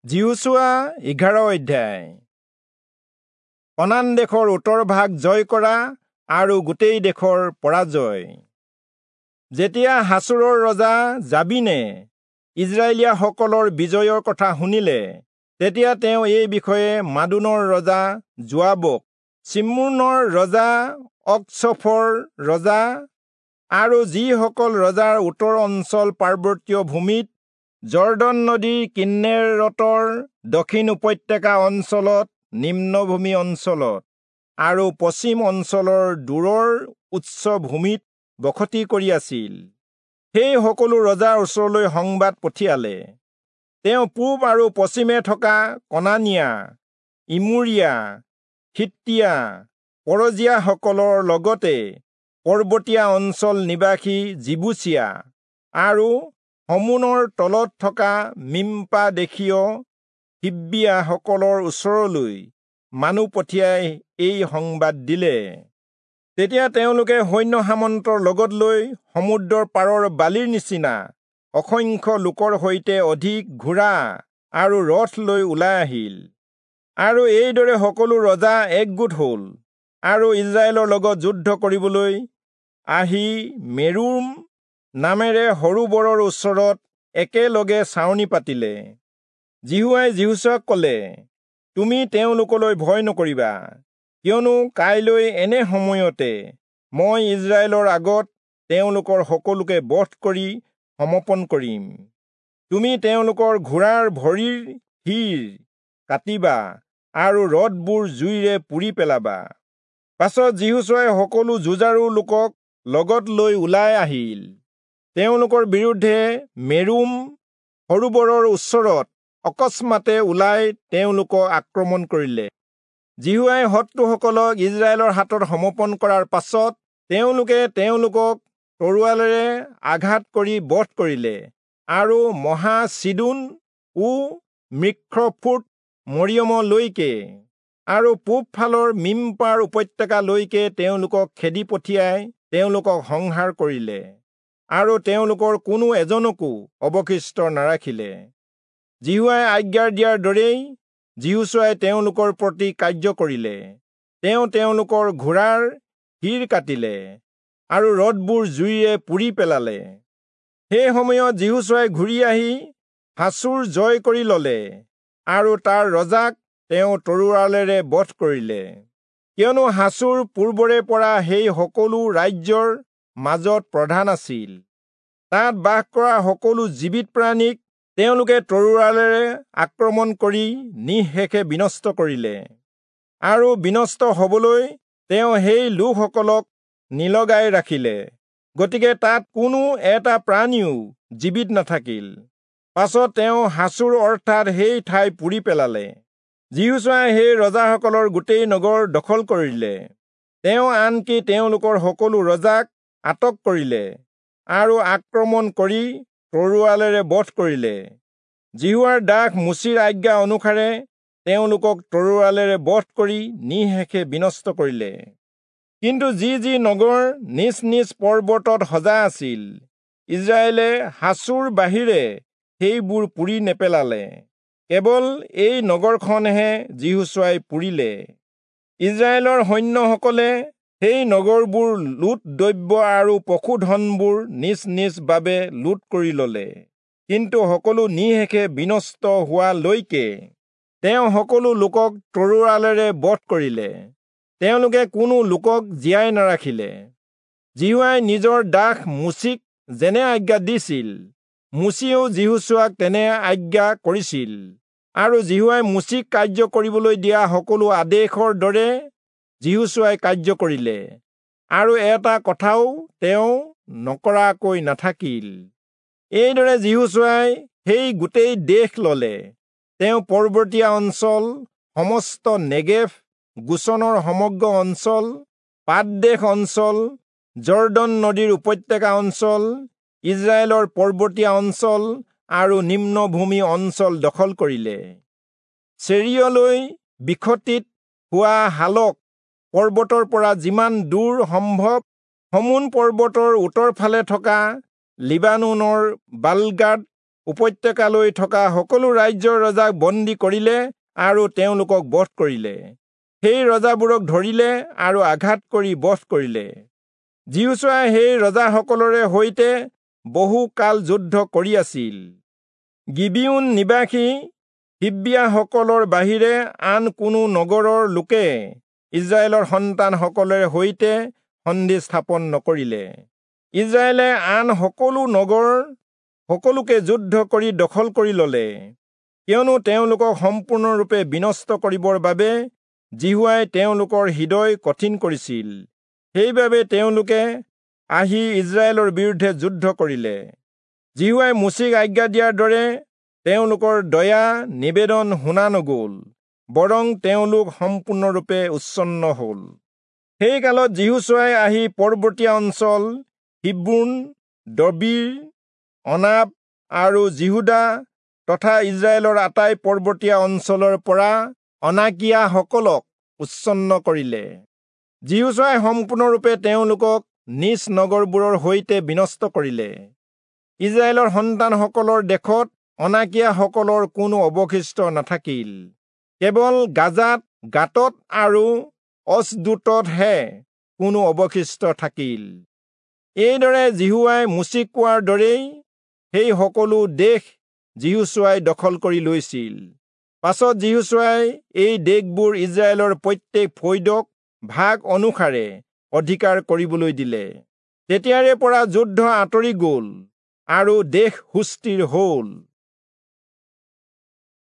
যিহোচূৱা 11 অধ্যায়। কনান দেশৰ উত্তৰ ভাগ জয় কৰা আৰু গোটেই দেশৰ পৰাজয়। যেতিয়া হাচোৰৰ ৰজা যাবীনে ইজৰাইলীয়াসকলৰ বিজয়ৰ কথা শুনিলে, তেতিয়া তেওঁ এই বিষয়ে মাদোনৰ ৰজা যোৱাবক, চিম্ৰোনৰ ৰজা অক্চফৰ ৰজা আৰু যিসকল ৰজাৰ উত্তৰ অঞ্চল পাৰ্বত্য ভূমিত যৰ্দন নদীৰ কিন্নেৰতৰ দক্ষিণ উপত্যকা অঞ্চলত, নিম্নভূমি অঞ্চলত আৰু পশ্চিম অঞ্চলৰ দূৰৰ উচ্চ ভূমিত বসতি কৰি আছিল, সেই সকলো ৰজাৰ ওচৰলৈ সংবাদ পঠিয়ালে। তেওঁ পূব আৰু পশ্চিমে থকা কনানীয়া, ইমোৰীয়া, হিত্তীয়া, পৰজীয়াসকলৰ লগতে পৰ্বতীয়া অঞ্চল নিবাসী যিবূচীয়া আৰু হৰ্মোনৰ তলত থকা মিম্পা দেশীয় হিব্বীয়াসকলৰ ওচৰলৈ মানুহ পঠিয়াই এই সংবাদ দিলে। তেতিয়া তেওঁলোকে সৈন্য সামন্তৰ লগত লৈ সমুদ্ৰৰ পাৰৰ বালিৰ নিচিনা অসংখ্য লোকৰ সৈতে অধিক ঘোঁৰা আৰু ৰথ লৈ ওলাই আহিল। আৰু এইদৰে সকলো ৰজা একগোট হল আৰু ইজৰাইলৰ লগত যুদ্ধ কৰিবলৈ আহি মেৰোম নামেৰে সৰোবৰৰ ওচৰত একেলগে ছাউনি পাতিলে। যিহোৱাই যিহোচূৱাক কলে, তুমি তেওঁলোকলৈ ভয় নকৰিবা, কিয়নো কাইলৈ এনে সময়তে মই ইজৰাইলৰ আগত তেওঁলোকৰ সকলোকে বধ কৰি সমৰ্পণ কৰিম। তুমি তেওঁলোকৰ ঘোঁৰাৰ ভৰিৰ শিৰ কাটিবা আৰু ৰথবোৰ জুইৰে পুৰি পেলাবা। পাছত যিহোচূৱাই সকলো যুঁজাৰু লোকক লগত লৈ ওলাই আহিল। তেওঁলোকৰ বিৰুদ্ধে মেৰোম সৰোবৰৰ ওচৰত অকস্মাতে ওলাই তেওঁলোকক আক্ৰমণ কৰিলে। যিহোৱাই শত্ৰুসকলক ইজৰাইলৰ হাতত সমৰ্পণ কৰাৰ পাছত তেওঁলোকে তেওঁলোকক তৰোৱালেৰে আঘাত কৰি বধ কৰিলে আৰু মহা চিদোন ও মিখ্ৰফোট মৰিয়মলৈকে আৰু পূবফালৰ মিম্পাৰ উপত্যকালৈকে তেওঁলোকক খেদি পঠিয়াই তেওঁলোকক সংহাৰ কৰিলে আৰু তেওঁলোকৰ কোনো এজনকো অৱশিষ্ট নাৰাখিলে। যিহোৱাই আজ্ঞা দিয়াৰ দৰেই যিহোচূৱাই তেওঁলোকৰ প্ৰতি কাৰ্য কৰিলে। তেওঁ তেওঁলোকৰ ঘোঁৰাৰ শিৰ কাটিলে আৰু ৰথবোৰ জুইৰে পুৰি পেলালে। সেই সময়ত যিহোচূৱাই ঘূৰি আহি হাচোৰ জয় কৰি ললে আৰু তাৰ ৰজাক তেওঁ তৰোৱালেৰে বধ কৰিলে, কিয়নো হাচোৰ পূৰ্বৰে পৰা সেই সকলো ৰাজ্যৰ মাজত প্ৰধান আছিল। তাত বাস কৰা সকলো জীৱিত প্ৰাণীক তেওঁলোকে তৰোৱালেৰে আক্ৰমণ কৰি নিঃশেষে বিনষ্ট কৰিলে আৰু বিনষ্ট হবলৈ তেওঁ সেই লোকসকলক নিলগাই ৰাখিলে। গতিকে তাত কোনো এটা প্ৰাণীও জীৱিত নাথাকিল। পাছত তেওঁ হাচোৰ অৰ্থাৎ সেই ঠাই পুৰি পেলালে। যিহোচূৱাই সেই ৰজাসকলৰ গোটেই নগৰ দখল কৰিলে। তেওঁ আনকি তেওঁলোকৰ সকলো ৰজাক আটক কৰিলে আৰু আক্ৰমণ কৰি তৰোৱালেৰে বধ কৰিলে। যিহোৱাৰ দাস মোচিৰ আজ্ঞা অনুসাৰে তেওঁলোকক তৰোৱালেৰে বধ কৰি নিঃশেষে বিনষ্ট কৰিলে। কিন্তু যি যি নগৰ নিজ নিজ পৰ্বতত সজা আছিল, ইজৰাইলে হাচোৰ বাহিৰে সেইবোৰ পুৰি নেপেলালে। কেৱল এই নগৰখনহে যিহোচূৱাই পুৰিলে। ইজৰাইলৰ সৈন্যসকলে সেই নগৰবোৰ লুট দ্ৰব্য আৰু পশুধনবোৰ নিজ নিজ বাবে লুট কৰি ললে। কিন্তু সকলো নিঃশেষে বিনষ্ট হোৱালৈকে তেওঁ সকলো লোকক তৰোৱালেৰে বধ কৰিলে। তেওঁলোকে কোনো লোকক জীয়াই নাৰাখিলে। যিহোৱাই নিজৰ দাস মোচিক যেনে আজ্ঞা দিছিল, মোচিয়েও যিহোচূৱাক তেনে আজ্ঞা কৰিছিল। আৰু যিহোৱাই মোচিক কাৰ্য কৰিবলৈ দিয়া সকলো আদেশৰ দৰে যিহোচূৱাই কাৰ্য কৰিলে আৰু এটা কথাও তেওঁ নকৰাকৈ নাথাকিল। এইদৰে যিহোচূৱাই সেই গোটেই দেশ ললে। তেওঁ পৰ্বতীয়া অঞ্চল, সমস্ত নেগেভ, গোচনৰ সমগ্ৰ অঞ্চল, পাদদেশ অঞ্চল, যৰ্দন নদীৰ উপত্যকা অঞ্চল, ইজৰাইলৰ পৰ্বতীয়া অঞ্চল আৰু নিম্নভূমি অঞ্চল দখল কৰিলে। চেৰিয়লৈ বিখতিত হোৱা হালক পৰ্বতৰ পৰা যিমান দূৰ সম্ভৱ হৰ্মোন পৰ্বতৰ উত্তৰ ফালে থকা লিবানোনৰ বালগাদ উপত্যকালৈ থকা সকলো ৰাজ্যৰ ৰজাক বন্দী কৰিলে আৰু তেওঁলোকক বধ কৰিলে। সেই ৰজাবোৰক ধৰিলে আৰু আঘাত কৰি বধ কৰিলে। যিহোচূৱাই সেই ৰজাসকলৰে সৈতে বহু কাল যুদ্ধ কৰি আছিল। গিবিয়োন নিবাসী হিব্বীয়াসকলৰ বাহিৰে আন কোনো নগৰৰ লোকে ইস্ৰায়েলৰ সন্তানসকলৰে সৈতে সন্ধি স্থাপন নকৰিলে। ইস্ৰায়েলে আন সকলো নগৰ সকলোকে যুদ্ধ কৰি দখল কৰি ললে, কিয়নো তেওঁলোকক সম্পূৰ্ণৰূপে বিনষ্ট কৰিবৰ বাবে যিহোৱাই তেওঁলোকৰ হৃদয় কঠিন কৰিছিল। সেইবাবে তেওঁলোকে আহি ইস্ৰায়েলৰ বিৰুদ্ধে যুদ্ধ কৰিলে। যিহোৱাই মোচিক আজ্ঞা দিয়াৰ দৰে তেওঁলোকৰ দয়া নিবেদন শুনা নগ'ল, বৰং তেওঁলোক সম্পূৰ্ণৰূপে উচ্ছন্ন হ'ল। সেই কালত যিহোচূৱাই আহি পৰ্বতীয়া অঞ্চল হিব্ৰোন, দবীৰ, অনাব আৰু যিহূদা তথা ইস্ৰায়েলৰ আটাই পৰ্বতীয়া অঞ্চলৰ পৰা অনাকীয়াসকলক উচ্ছন্ন কৰিলে। যিহোচূৱাই সম্পূৰ্ণৰূপে তেওঁলোকক নিজ নগৰবোৰৰ সৈতে বিনষ্ট কৰিলে। ইস্ৰায়েলৰ সন্তানসকলৰ দেশত অনাকীয়াসকলৰ কোনো অৱশিষ্ট নাথাকিল, কেৱল গাজাত, গাতত আৰু অচদোততহে কোনো অৱশিষ্ট থাকিল। এইদৰে যিহোৱাই মোচিক কোৱাৰ দৰেই সেই সকলো দেশ যিহোচূৱাই দখল কৰি লৈছিল। পাছত যিহোচূৱাই এই দেশবোৰ ইস্ৰায়েলৰ প্ৰত্যেক ফৈদক ভাগ অনুসাৰে অধিকাৰ কৰিবলৈ দিলে। তেতিয়াৰে পৰা যুদ্ধ আঁতৰি গ'ল আৰু দেশ সুস্থিৰ হ'ল।